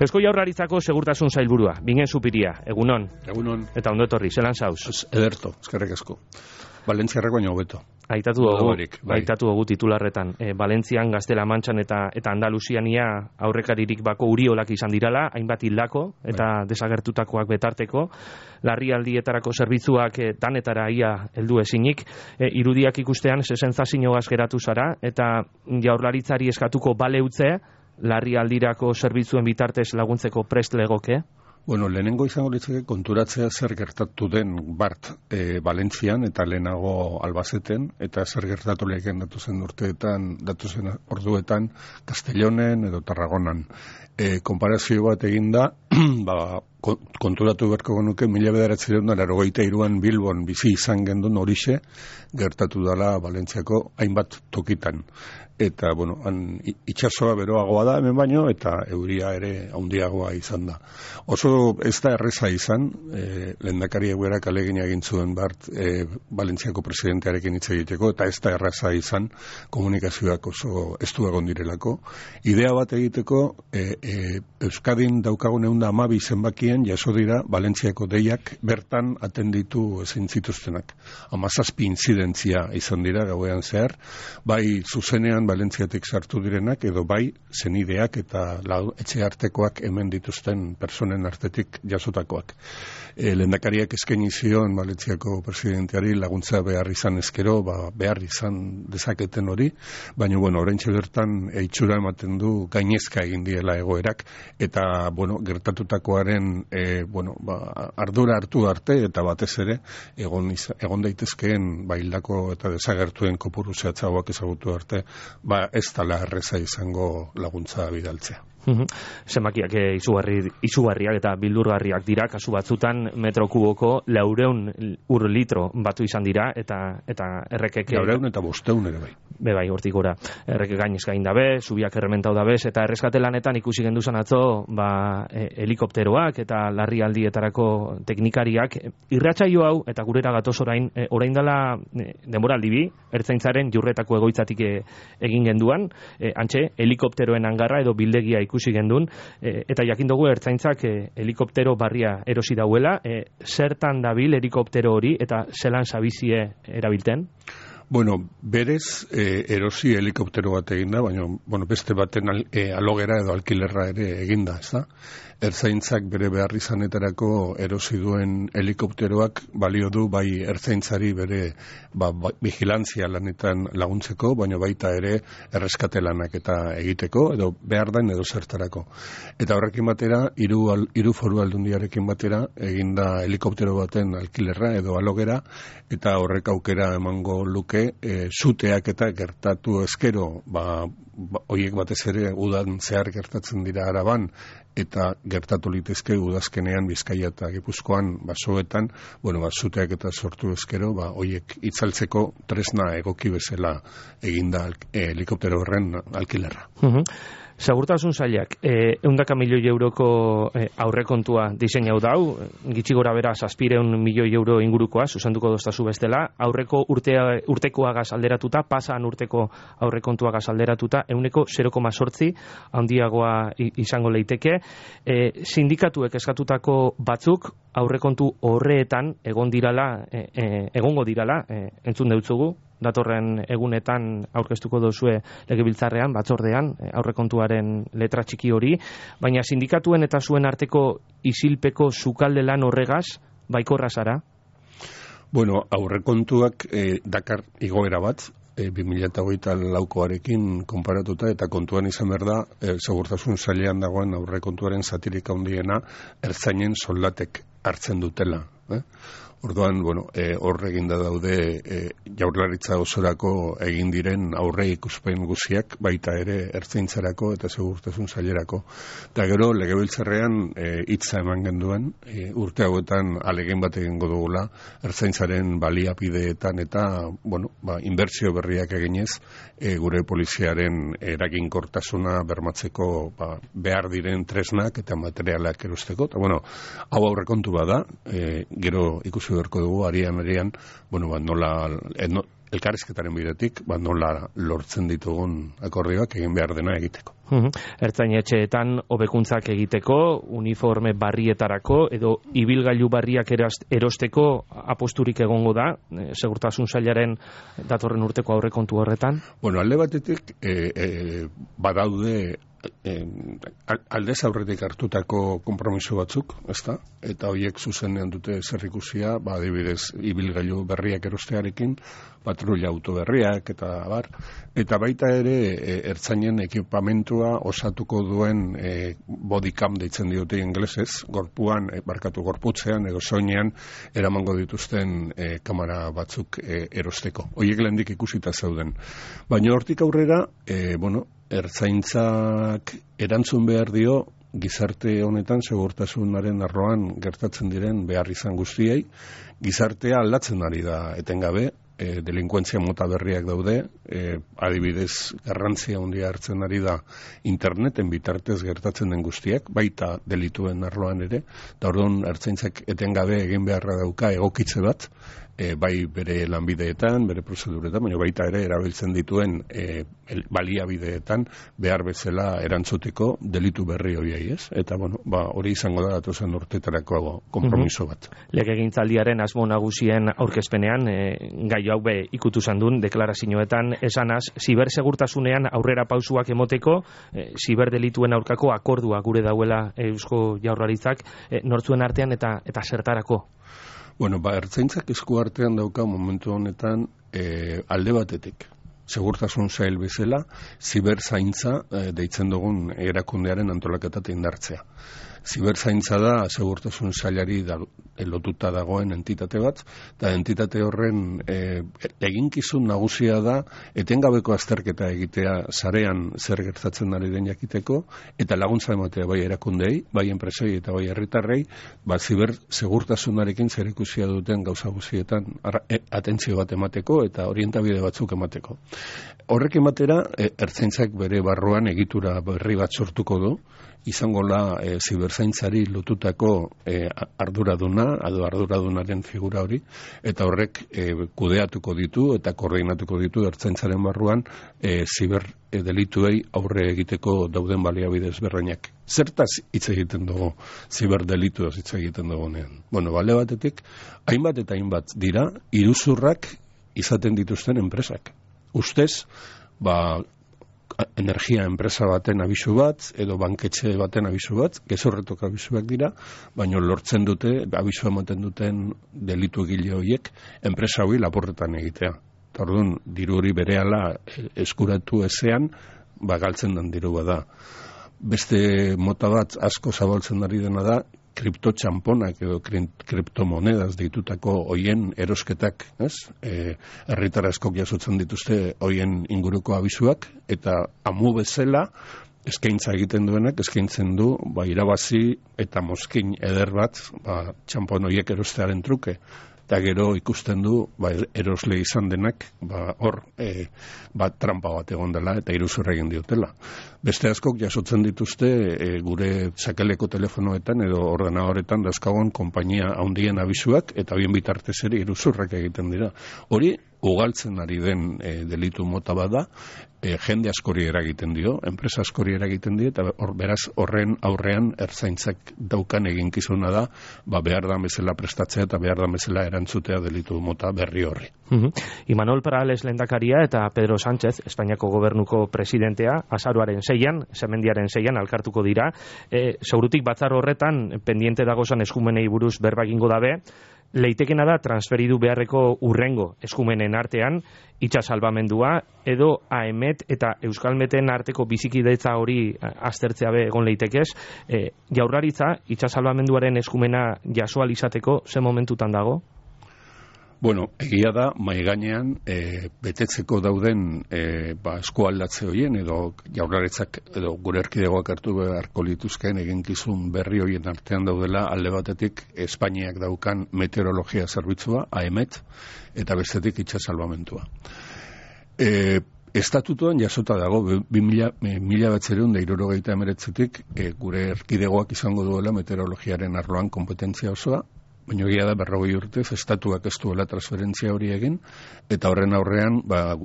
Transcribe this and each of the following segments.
Eusko Jaurlaritzako segurtasun sailburua, Bingen Zupiria, egunon. Egunon. Eta ondo etorri, zelan zauz? Ederto, eskerrik asko. Valentziarrako baino hobeto. Aitatu dugu titularretan. Valentzian, Gaztela Mantxan eta Andaluziania aurrekaririk bako uriolak izan dirala, hainbat hildako eta desagertutakoak betarteko, larrialdietarako zerbitzuak danetara ia heldu ezinik, irudiak ikustean sensazioaz geratu zara, eta Jaurlaritzari eskatuko baleutze, larrialdirako zerbitzuen bitartez laguntzeko prest legoke? Bueno, lehenengo izango litzake konturatzea zer gertatu den bart Valentzian eta lehenago Albazeten, eta zer gertatu leheken datuzen orduetan Castellonen edo Tarragonan. Konparazio bat eginda, konturatu beharko genuke 1983an Bilbon bizi izan gendun horixe gertatu dela Valentziako hainbat tokitan. Eta, bueno, itxasoa beroagoa da hemen baino, eta euria ere handiagoa izan da. Oso ez da erreza izan, lehendakari eguerak alegin egin zuen bart Valentziako presidentearekin hitz egiteko, eta ez da erreza izan komunikazioak oso estu egon direlako. Idea bat egiteko, Euskadin daukagun 112 zenbakien jaso dira Valentziako deiak bertan atenditu ezin zituztenak. 17 intzidentzia izan dira gauean zehar, bai zuzenean Valentziatik sartu direnak, edo bai zenideak eta etxe artekoak hemen dituzten personen artetik jasotakoak. Lehendakariak eskaini zion Valentziako presidenteari laguntza behar izan ezkero, behar izan dezaketen hori, baina, oraintxe bertan itxura ematen du gainezka egin diela egoerak, eta, gertatutakoaren, ardura hartu arte, eta batez ere, egon daitezkeen hildako eta desagertuen kopuru zehatzagoak ezagutu arte, ez dela erreza izango laguntza bidaltzea. Zenbakiak izugarriak eta bildurgarriak dira, kasu batzutan metro kuboko 400 litro batu izan dira, eta errekek... 400 eta 500 ere bai. Bai, hortik gora. Errekek gainezka egin dabe, zubiak errementau dabe, eta erreskate lanetan ikusi genduzan atzo, helikopteroak eta larrialdietarako teknikariak, irratsaio hau, eta gurera gatoz orain dela denboraldi bi, ertzaintzaren Jurretako egoitzatik egin genduan, antxe, helikopteroen hangarra edo bildegia ikusi gendun, eta jakin dugu ertzaintzak helikoptero barria erosi dauela, zertan dabil helikoptero hori eta zelan zabizie erabilten? Berez erosi helikoptero bat eginda, baina beste baten alogera edo alkilerra ere eginda, ez da? Ertzaintzak bere behar izanetarako erosi duen helikopteroak balio du bai ertzaintzari bere vigilantzia lanetan laguntzeko, baina baita ere erreskate lanak eta egiteko, edo behar den edo zertarako. Eta horrekin batera, hiru foru aldundiarekin batera, eginda helikoptero baten alkilerra edo alogera, eta horrek aukera emango luke, zuteak eta gertatu ezkero, horiek batez ere udan zehar gertatzen dira Araban, eta gertatu litezke udazkenean Bizkaia eta Gipuzkoan basoetan, zuteak eta sortu ezkero, horiek itzaltzeko tresna egoki bezala eginda helikoptero horren alkilerra. Segurtasun sailak, 100 milioi euroko aurrekontua diseinau dau, gitxi gora bera 700 milioi euro ingurukoa, zuzenduko doztazu bestela, aurreko urtekoagaz alderatuta, pasan urteko aurrekontuagaz alderatuta, 0,8 handiagoa izango leiteke. Sindikatuek eskatutako batzuk aurrekontu horreetan egongo dirala, entzun deutzugu, datorren egunetan aurkeztuko dozue legebiltzarrean, batzordean, aurrekontuaren letra txiki hori, baina sindikatuen eta zuen arteko isilpeko sukalde lan horregaz, baikorra zara? Aurrekontuak dakar igoera bat, 2024koarekin konparatuta, eta kontuan izan behar da, segurtasun sailean dagoen aurrekontuaren zatirik handiena ertzainen soldatek hartzen dutela. Orduan, hor eginda daude Jaurlaritza osorako egin diren aurre ikuspen guziak, baita ere ertzaintzarako eta segurtasun sailerako. Eta gero, legebiltzarrean hitza eman genduen, urte hauetan alegin bat egingo dugula, ertzaintzaren baliapideetan eta, inbertsio berriak eginez, gure poliziaren eraginkortasuna bermatzeko behar diren tresnak eta materialak erosteko. Eta, hau aurrekontu bada, gero ikusi berko dugu, arian, nola elkarrizketaren bidetik, nola lortzen ditugun akordioak egin behar dena egiteko. Ertzainetxeetan hobekuntzak egiteko, uniforme barrietarako edo ibilgailu barriak erosteko aposturik egongo da, segurtasun sailaren datorren urteko aurrekontu horretan? Bueno, alde batetik badaude aldez aurretik hartutako konpromiso batzuk, ezta? Eta horiek zuzenean dute zerrikusia, adibidez, ibilgailu berriak erostearekin, patrulla auto berriak eta abar, eta baita ere ertzainen ekipamentua osatuko duen bodycam deitzen diote ingelesez, gorputzean edo soinean eramango dituzten kamera batzuk erosteko. Horiek lehendik ikusita zeuden. Baina hortik aurrera, ertzaintzak erantzun behar dio gizarte honetan segurtasunaren arloan gertatzen diren behar izan guztiei. Gizartea aldatzen ari da etengabe, delinkuentzia mota berriak daude, adibidez garrantzia handia hartzen ari da interneten bitartez gertatzen den guztiak, baita delituen arloan ere, eta orduan ertzaintzak etengabe egin beharra dauka egokitze bat, bai bere lanbideetan, bere prozeduretan, baina baita ere erabiltzen dituen baliabideetan behar bezala erantzuteko delitu berri horiei, ez? Eta hori izango da datozen urteetarako konpromiso bat. Legegintzaldiaren asmo nagusien aurkezpenean, gai hau ikutu zandun, deklarazioetan esanaz, zibersegurtasunean aurrera pausuak emoteko, ziberdelituen aurkako akordua gure dauela Eusko Jaurlaritzak, nortzuen artean eta zertarako? Ertzaintzak esku artean dauka momentu honetan alde batetik. Segurtasun sail bezala, ziberzaintza deitzen dugun erakundearen antolaketa indartzea. Ziberzaintza da segurtasun sailari lotuta dagoen entitate bat, eta entitate horren eginkizun nagusia da etengabeko azterketa egitea sarean zer gertatzen ari den jakiteko, eta laguntza ematea bai erakundei, bai enpresei eta bai herritarrei, ziber segurtasunarekin zerikusia duten gauza guztietan atentzio bat emateko eta orientabide batzuk emateko. Horrek ematera, ertzaintzak bere barruan egitura berri bat sortuko du, izango la ziberzaintzari lotutako arduradunaren figura hori, eta horrek kudeatuko ditu eta koordinatuko ditu ertzaintzaren barruan ziberdelituei aurre egiteko dauden baliabide ezberdinak. Zertaz hitz egiten dugu ziberdelituaz hitz egiten dugunean? Bale batetik, hainbat eta hainbat dira iruzurrak izaten dituzten enpresak. Ustez, energia enpresa baten abisu bat, edo banketxe baten abisu bat, gezurretok abisuak dira, baina lortzen dute, abisu ematen duten delitu egile horiek, enpresa hori laporretan egitea. Orduan, diru hori berehala eskuratu ezean, galtzen den diru bada. Beste mota bat asko zabaltzen ari dena da, kriptotxamponak edo kriptomonedaz ditutako hoien erosketak, herritar askok jasotzen dituzte hoien inguruko abisuak, eta amu bezala eskaintza egiten duenak, eskaintzen du irabazi eta mozkin eder bat txampon hoiek erostearen truke. Eta gero ikusten du erosle izan denak hor trampa bat egon dela eta iruzurra egin diotela. Beste askok jasotzen dituzte gure sakeleko telefonoetan edo ordenadoretan dauzkagun konpainia handien abisuak eta bien bitartez ere iruzurrak egiten dira. Hori ugaltzen ari den delitu mota bada, jende askori eragiten dio, enpresa askori eragiten dio, eta beraz horren aurrean ertzaintzak daukan eginkizuna da, behar da bezala prestatzea eta behar da bezala erantzutea delitu mota berri horri. Imanol Perales lehendakaria eta Pedro Sánchez, Espainiako gobernuko presidentea, azaroaren 6an, semendiaren 6an alkartuko dira. Segurutik batzar horretan, pendiente dagozan eskumenei buruz berba egingo dabe, leitekena da transferidu beharreko urrengo eskumenen artean itxasalbamendua edo AEMET eta Euskalmeten arteko bizikidetza hori aztertzea be egon leitekez. Jaurlaritza itxasalbamenduaren eskumena jasoal izateko ze momentutan dago? Egia da, maigainean betetzeko dauden eskualdatze horien edo jaurlaritzak edo gure erkidegoak hartu beharko lituzkeen eginkizun berri horien artean daudela alde batetik Espainiak daukan meteorologia zerbitzua, AEMET, eta bestetik itxasalbamentua. Estatutuan jasota dago 1979tik gure erkidegoak izango duela meteorologiaren arloan kompetentzia osoa, baina egia da 40 urtez estatuak ez duela transferentzia hori egin, eta horren aurrean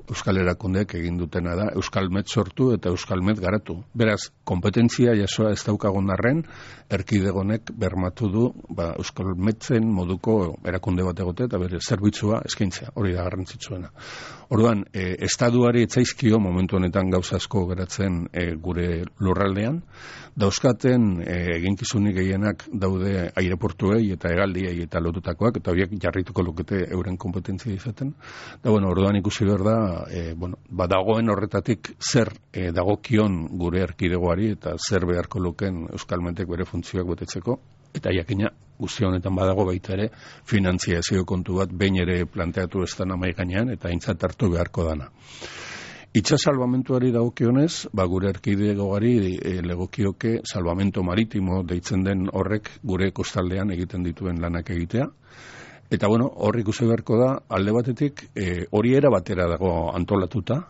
Euskal Erakundeek egin dutena da Euskalmet sortu eta Euskalmet garatu. Beraz, kompetentzia jasoa ez daukagun arren, erkidegonek bermatu du Euskalmetzen moduko erakunde bat egote eta bere zerbitzua eskaintzea, hori da garrantzitsuena. Orduan, estatuari etzaizkio momentu honetan gauza asko geratzen gure lurraldean, dauzkaten eginkizunik gehienak daude aireportuei eta hegaldiei eta lotutakoak, eta horiek jarrituko lukete euren kompetentzia izaten. Da, orduan ikusi behar da, badagoen horretatik zer dagokion gure erkidegoari eta zer beharko luken Euskalmetek bere funtzioak betetzeko, eta jakina guzti honetan badago baita ere finantziazio kontu bat behin ere planteatu ez dana mahai gainean eta aintzat hartu beharko dana. Itxas salvamentuari dagokionez, gure erkidegogari legokioke salvamento maritimo deitzen den horrek gure kostaldean egiten dituen lanak egitea. Eta hor ikusi beharko da, alde batetik hori era batera dago antolatuta,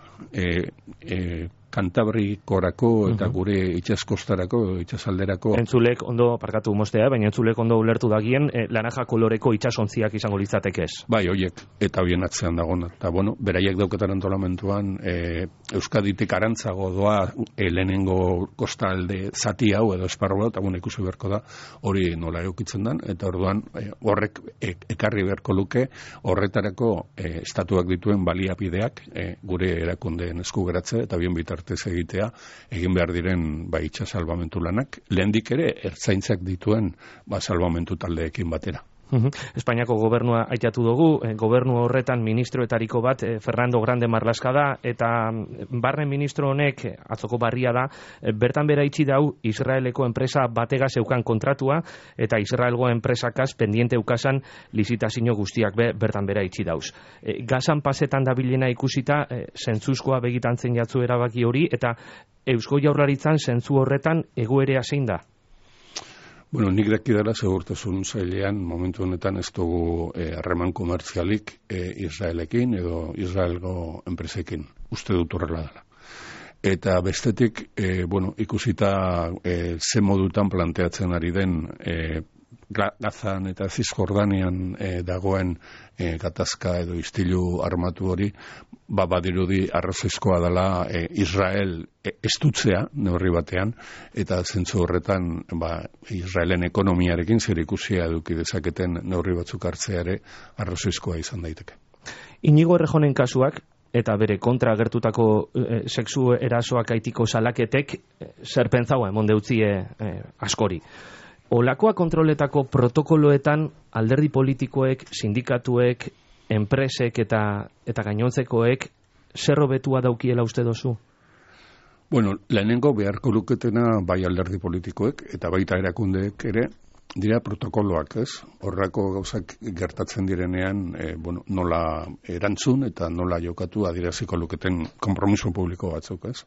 Kantabrikorako eta gure itxaskostarako, itxasalderako. Entzulek ondo, parkatu mostea, baina entzulek ondo ulertu dagien, laranja koloreko itxasontziak izango litzatekez. Bai, hoiek, eta hoien atzean dagona. Eta beraiek dauketan antolamentuan, Euskaditik arantzago doa lehenengo kostalde zati hau edo esparru eta ikusi beharko da hori nola eukitzen den, eta orduan horrek ekarri beharko luke horretarako estatuak dituen baliabideak gure erakundeen esku geratze eta bien bitartez egitea, egin behar diren itxas salbamentu lanak, lehendik ere ertzaintzak dituen salbamentu taldeekin batera. Espainiako gobernua aitatu dugu, gobernu horretan ministroetariko bat Fernando Grande Marlaska da, eta barne ministro honek, atzoko barria da, bertan bera itxi dau Israeleko enpresa batega zeukan kontratua, eta Israelgo enpresakaz pendiente ukasan lizitazio guztiak bertan bera itxi dauz. Gazan pasetan dabilena ikusita, zentzuzkoa begitantzen jatzu erabaki hori, eta Eusko Jaurlaritzan zentzu horretan egoerea zein da? Nik dakidala segurtasun sailean momentu honetan ez dugu harreman komertzialik Israelekin edo Israelgo enpresekin. Uste dut horrela dela. Eta bestetik, ikusita ze modutan planteatzen ari den Gazan eta Zisjordanian dagoen gatazka edo istilu armatu hori, badirudi arrazoizkoa dela Israel estutzea neurri batean, eta zentzu horretan Israelen ekonomiarekin zer ikusia eduki dezaketen neurri batzuk hartzea ere arrazoizkoa izan daiteke. Inigo Errejonen kasuak eta bere kontra agertutako sexu erasoak aitiko salaketek zer pentsaua emon deutzie askori. Olakoa kontroletako protokoloetan alderdi politikoek, sindikatuek, enpresek eta gainontzekoek zer hobetua daukiela uste dozu? Lehenengo beharko luketena bai alderdi politikoek eta baita erakundeek ere dira protokoloak, ez? Horrako gauzak gertatzen direnean, nola erantzun eta nola jokatu adieraziko luketen konpromiso publiko batzuk, ez?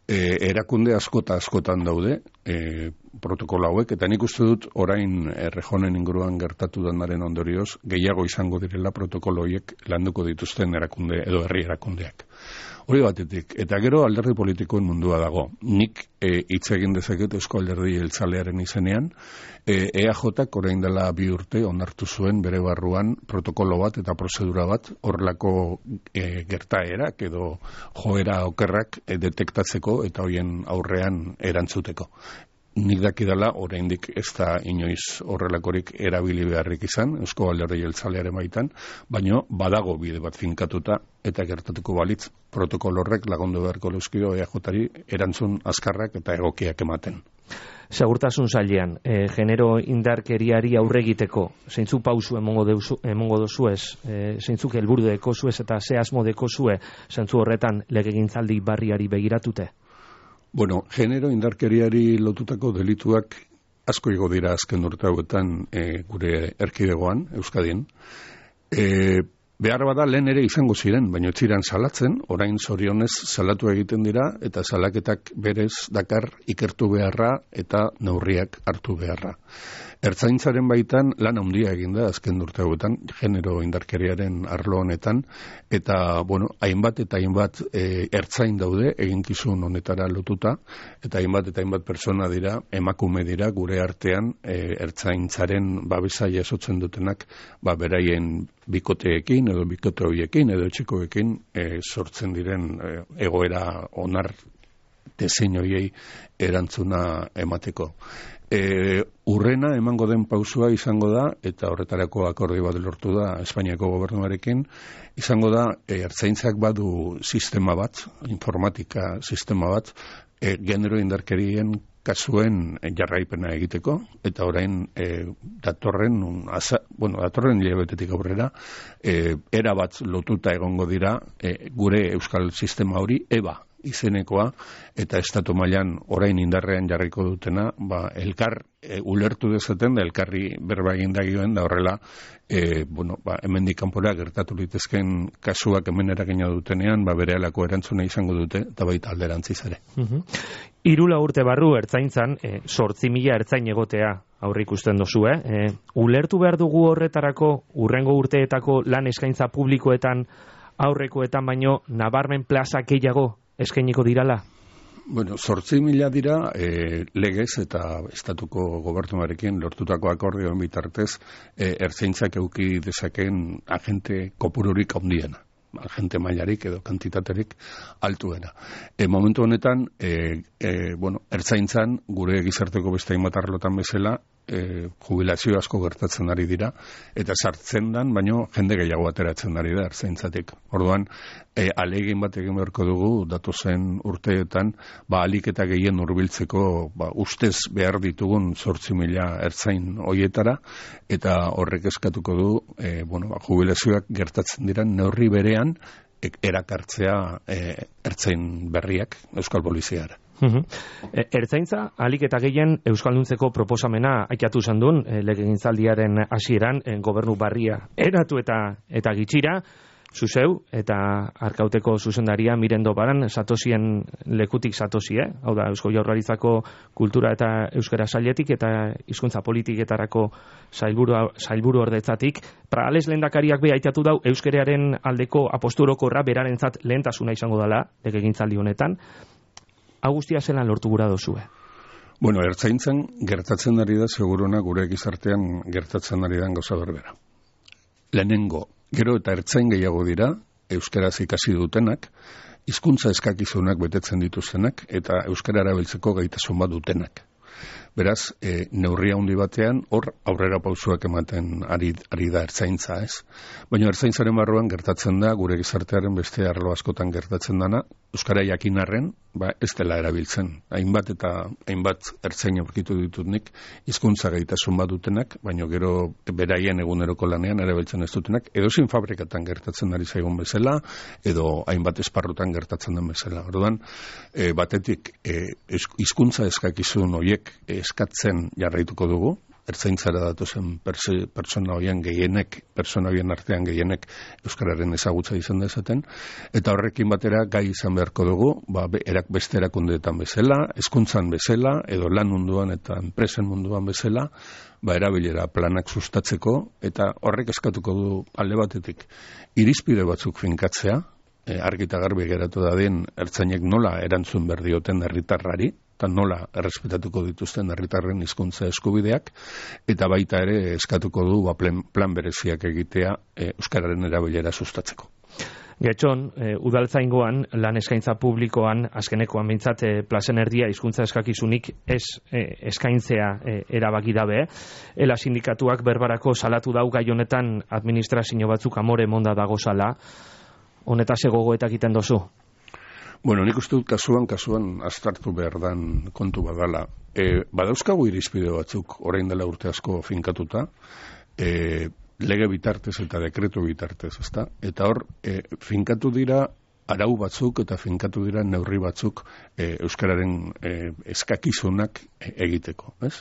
Erakunde askotan daude protokolo hauek, eta nik uste dut orain Errejonen inguruan gertatu denaren ondorioz gehiago izango direla protokolo horiek landuko dituzten erakunde edo herri erakundeak. Hori batetik, eta gero alderdi politikoen mundua dago. Nik hitz egin dezaket Eusko Alderdi Jeltzalearen izenean, EAJak orain dela 2 urte onartu zuen bere barruan protokolo bat eta prozedura bat horrelako gertaerak edo joera okerrak detektatzeko eta hoien aurrean erantzuteko. Nik dakidala, oraindik ez da inoiz horrelakorik erabili beharrik izan, Eusko Alderdi Jeltzalearen baitan, baino badago bide bat finkatuta eta gertatuko balitz protokolo horrek lagundu beharko leuskio EAJari erantzun azkarrak eta egokiak ematen. Segurtasun sailean, genero indarkeriari aurre egiteko, zeintzu pausu emongo dozuez, zeintzuk helburu dekozuez eta ze asmo dekozue zentzu horretan legegintzaldi barriari begiratute? Genero indarkeriari lotutako delituak asko igo dira azken urte hauetan gure erkidegoan, Euskadin. Behar bada lehen ere izango ziren, baina ez ziren salatzen, orain zorionez salatu egiten dira, eta salaketak berez dakar ikertu beharra eta neurriak hartu beharra. Ertzaintzaren baitan lan handia egin da azken urte hauetan, genero indarkeriaren arlo honetan, eta, hainbat eta hainbat ertzain daude eginkizun honetara lotuta, eta hainbat persona dira, emakume dira, gure artean ertzaintzaren babesa jasotzen dutenak, beraien bikoteekin edo bikote horiekin edo etxekoekin sortzen diren egoera onar desein horiei erantzuna emateko. Urrena emango den pausua izango da, eta horretarako akordio bat lortu da Espainiako gobernuarekin, izango da ertzaintzak badu sistema bat, informatika sistema bat, genero indarkerien kasuen jarraipena egiteko, eta orain datorren hilabetetik aurrera, era bat lotuta egongo dira gure euskal sistema hori, EBA izenekoa, eta estatu mailan orain indarrean jarriko dutena, elkar ulertu dezaten da elkarri berba egin dagioen da horrela, hemendik kanpora gertatu litezken kasuak hemen eragina dutenean, berehalako erantzuna izango dute, eta baita alderantziz ere. 3 urte barru ertzaintzan, 8.000 ertzain egotea aurreikusten dozu, ulertu behar dugu horretarako urrengo urteetako lan eskaintza publikoetan aurrekoetan baino nabarmen plaza gehiago eskainiko dirala? 8.000 dira legez eta estatuko gobernuarekin lortutako akordioen bitartez ertzaintzak eduki dezakeen agente kopururik handiena, agente mailarik edo kantitaterik altuena. Momentu honetan, ertzaintzan gure gizarteko beste hainbat arlotan bezala jubilazio asko gertatzen ari dira, eta sartzen dan, baino jende gehiago ateratzen ari da ertzaintzatik. Orduan, ahalegin bat egin beharko dugu, datozen urteetan, ahalik eta gehien hurbiltzeko ustez behar ditugun 8.000 ertzain hoietara, eta horrek eskatuko du, jubilazioak gertatzen dira neurri berean, erakartzea ertzain berriak Euskal Poliziara. Ertzaintza, ahalik eta gehien euskalduntzeko proposamena aikatu zandun, legegintzaldiaren hasieran, gobernu barria eratu eta gitxira, zuzeu eta Arkauteko zuzendaria Mirendo Baran satosien lekutik satosi, hau da, Eusko Jaurlaritzako kultura eta euskara sailetik eta hizkuntza politiketarako sailburu ordetzatik, Pragales lehendakariak be aitatu dau euskararen aldeko aposturokorra berarentzat lehentasuna izango dela legegintzaldi honetan. Agustia zelan lortu gura dozue? Ertzaintzan gertatzen ari da seguruna gure gizartean gertatzen ari den gauza berbera. Lehenengo, gero eta ertzain gehiago dira, euskaraz ikasi dutenak, hizkuntza eskakizunak betetzen dituztenak, eta euskara erabiltzeko gaitasun bat dutenak. Beraz, neurria handi batean, hor aurrera pausuak ematen ari da ertzaintza, ez? Baina ertzaintzaren barruan gertatzen da, gure gizartearen beste arlo askotan gertatzen dana, euskara jakinarren, ez dela erabiltzen. Hainbat ertzain aurkitu ditut nik, hizkuntza gaitasun bat dutenak, baina gero beraien eguneroko lanean erabiltzen ez dutenak, edozein fabrikatan gertatzen ari zaigun bezala, edo hainbat esparrutan gertatzen den bezala. Orduan, batetik, hizkuntza eskakizun horiek eskatzen jarraituko dugu, ertzaintzara datozen pertsona horien artean gehienek euskararen ezagutza izan dezaten, eta horrekin batera gai izan beharko dugu, beste erakundeetan bezala, hezkuntzan bezala, edo lan munduan eta enpresen munduan bezala, erabilera planak sustatzeko, eta horrek eskatuko du alde batetik irizpide batzuk finkatzea, argi eta garbi geratu dadin ertzainek nola erantzun behar dioten herritarrari, eta nola errespetatuko dituzten herritarren hizkuntza eskubideak, eta baita ere eskatuko du plan bereziak egitea euskararen erabilera sustatzeko. Getxon, udaltzaingoan, lan eskaintza publikoan, azkenekoan behintzat plazen erdia hizkuntza eskakizunik eskaintzea erabaki dabe. Ela sindikatuak berbarako salatu dau gai honetan administrazio batzuk amore monda dagozala. Honetaz gogoetak egiten dozu? Nik uste dut kasuan aztartu behar dan kontu badala. Badauzkagu irizpide batzuk orain dela urte asko finkatuta, lege bitartez eta dekretu bitartez, ezta? Eta hor, finkatu dira arau batzuk eta finkatu dira neurri batzuk euskararen eskakizunak egiteko, ez?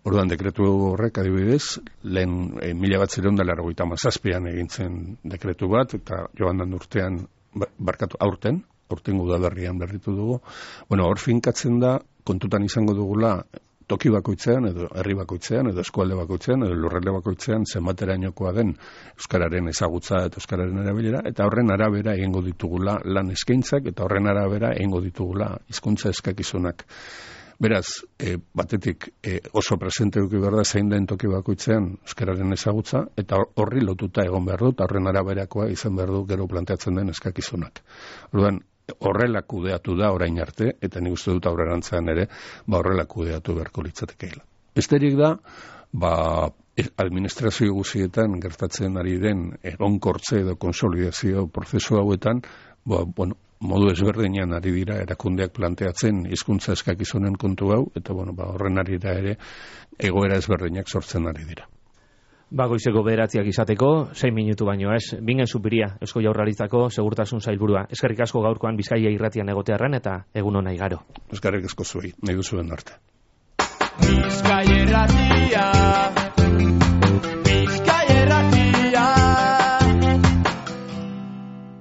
Orduan dekretu horrek adibidez, lehen 1997an egin zen dekretu bat, eta joan den urtean, aurten udaberrian berritu dugu. Bueno, hor finkatzen da, kontutan izango dugula, toki bakoitzean, edo herri bakoitzean, edo eskualde bakoitzean, edo lurralde bakoitzean, zenbaterainokoa den euskararen ezagutza eta euskararen erabilera, eta horren arabera egingo ditugula lan eskaintzak, eta horren arabera egingo ditugula hizkuntza eskakizunak. Beraz, batetik oso presente duki behar da zein den toki bakoitzean euskararen ezagutza, eta horri lotuta egon behar du, eta horren araberakoa izan behar du gero planteatzen den eskakizunak. Orduan, horrela kudeatu da orain arte, eta nik uste dut aurrerantzean ere, horrela kudeatu beharko litzatekeela. Besterik da, administrazio guzietan gertatzen ari den egonkortze edo konsolidazio prozesu hauetan, modu ezberdinean ari dira erakundeak planteatzen hizkuntza eskakizunen kontu hau, eta horren arira ere egoera ezberdinak sortzen ari dira. Goizeko 9 izateko, 6 minutu baino ez. Bingen Zupiria, Eusko Jaurlaritzako Segurtasun Sailburua. Eskerrik asko gaurkoan Bizkaia irratian egotearren eta egun ona igaro. Eskerrik asko zuei, nahi duzuen arte. Bizkaia irratia